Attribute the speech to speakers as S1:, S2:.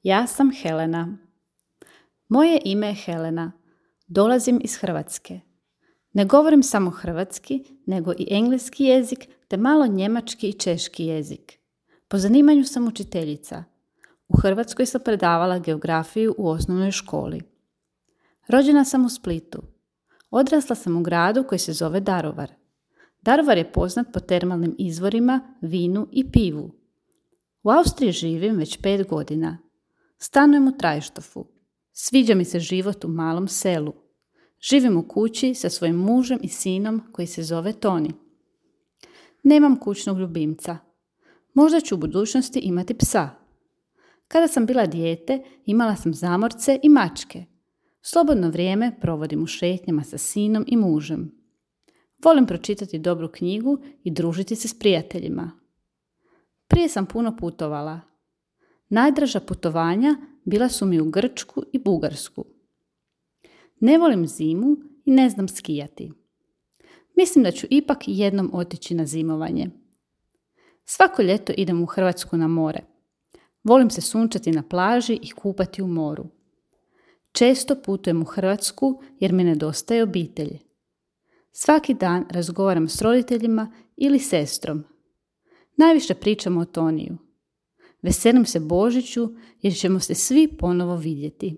S1: Ja sam Helena. Moje ime je Helena. Dolazim iz Hrvatske. Ne govorim samo hrvatski, nego i engleski jezik, te malo njemački i češki jezik. Po zanimanju sam učiteljica. U Hrvatskoj sam predavala geografiju u osnovnoj školi. Rođena sam u Splitu. Odrasla sam u gradu koji se zove Daruvar. Daruvar je poznat po termalnim izvorima, vinu i pivu. U Austriji živim već 5 godina. Stanujem u Trajštofu. Sviđa mi se život u malom selu. Živim u kući sa svojim mužem i sinom koji se zove Toni. Nemam kućnog ljubimca. Možda ću u budućnosti imati psa. Kada sam bila dijete, imala sam zamorce i mačke. Slobodno vrijeme provodim u šetnjama sa sinom i mužem. Volim pročitati dobru knjigu i družiti se s prijateljima. Prije sam puno putovala. Najdraža putovanja bila su mi u Grčku i Bugarsku. Ne volim zimu i ne znam skijati. Mislim da ću ipak jednom otići na zimovanje. Svako ljeto idem u Hrvatsku na more. Volim se sunčati na plaži i kupati u moru. Često putujem u Hrvatsku jer mi nedostaje obitelj. Svaki dan razgovaram s roditeljima ili sestrom. Najviše pričam o Toniju. Veselim se Božiću jer ćemo se svi ponovo vidjeti.